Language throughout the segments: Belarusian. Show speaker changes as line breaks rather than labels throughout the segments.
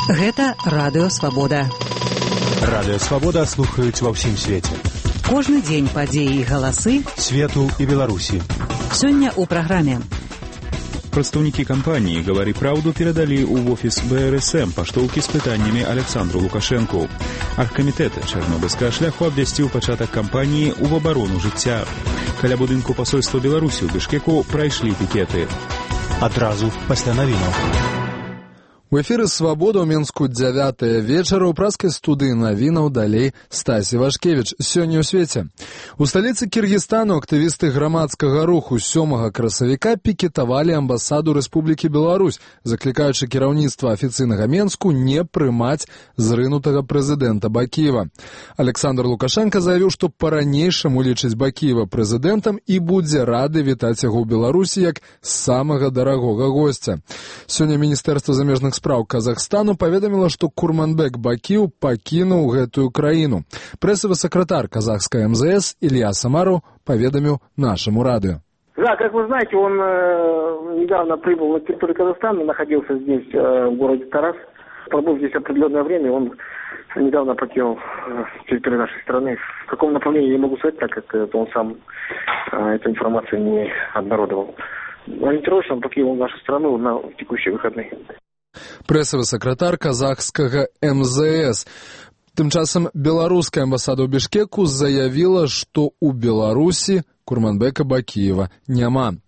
Гэта Радыё Свабода.
Радыё Свабода слухаюць ва ўсім свеце.
Кожны дзень падзеі і галасы
свету і Беларусі.
Сёння ў праграме.
Прадстаўнікі кампаніі «Гавары праўду» перадалі ў офіс БРСМ паштоўкі з пытаннямі Александру Лукашэнку. Аргкамітэт чарнобыльскага шляху абвясціў пачатак кампаніі ў абарону жыцця. Каля будынку пасольства Беларусі ў Бішкеку прайшлі пікеты.
Адразу пасля навінаў.
У эфіры «Свабода» ў Мінску 9 вечара ў праскай студыі навінаў далей Стасі Вашкевіч. Сёння ў свеце. У сталіцы Кіргізстану актывісты грамадскага руху 7 красавіка пікетавалі амбасаду Рэспублікі Беларусь, заклікаючы кіраўніцтва афіцыйнага Менску не прымаць зрынутага прэзідэнта Бакіева. Александр Лукашенко заявіў, што па-ранейшаму лічыць Бакіева прэзідэнтам і будзе рады вітаць яго ў Беларусі як самага дарагога госця. Сёння Міністэрства замежных спраў Казахстану паведаміла, што Курманбек Бакиев пакінуў гэтую краіну. Прэсавы сакратар казахскай МЗС Илья Самаров поведомил нашему радио.
Да, как вы знаете, он недавно прибыл на территорию Казахстана, находился здесь, в городе Тарас. Пробыл здесь определенное время, он недавно покинул территорию нашей страны. В каком направлении я не могу сказать, так как он сам эту информацию не обнародовал. Ориентировочно он покинул нашу страну на текущие выходные.
Прэсавы сакратар казахскага МЗС. Тым часам беларуская амбасада ў Бішкеку заявіла, што ў Беларусі Курманбека Бакиева няма.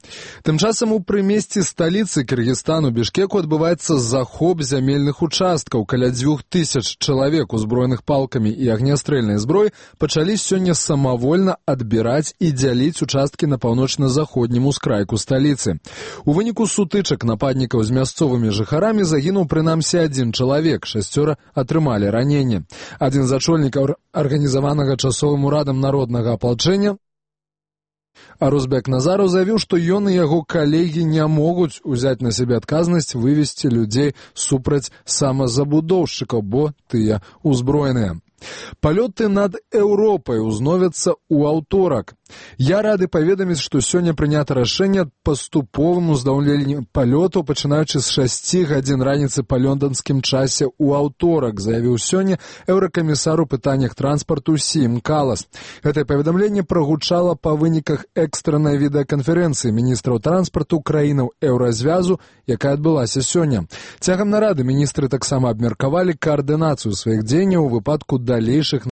Тым часам у прымесці сталіцы Кіргізстану Бішкеку адбываецца захоп зямельных участкаў. Каля 2000 чалавек, узброеных палкамі і агнястрэльнай зброй, пачалі сёння самавольна адбіраць і дзяліць участкі на паўночна-заходнім ускрайку сталіцы. У выніку сутычак нападнікаў з мясцовымі жыхарамі загінуў прынамсі 1 чалавек, 6 атрымалі раненне. Адзін з ачольнікаў арганізаванага часовым урадам народнага апалчэння Арузбек Назаров заявіў, што ён і яго калегі не могуць узяць на сябе адказнасць вывесці людзей супраць самазабудоўшчыкаў, бо тыя ўзброеныя. Палёты над Еўропай узновяцца ў аўторак. Я рады паведаміць, што сёння прынята рашэнне аб паступовым уздаўленні палётаў, пачынаючы з 6 гадзін раніцы па лонданскім часе ў аўторак, заявіў сёння еўракамісар у пытаннях транспарту Сім Калас. Гэтае паведамленне прагучала па выніках экстраннай відэаканферэнцыі міністраў транспарту краінаў Еўразвязу, якая адбылася сёння. Цягам нарады міністры таксама абмеркавалі каардынацыю сваіх дзеянняў у выпадку далейшых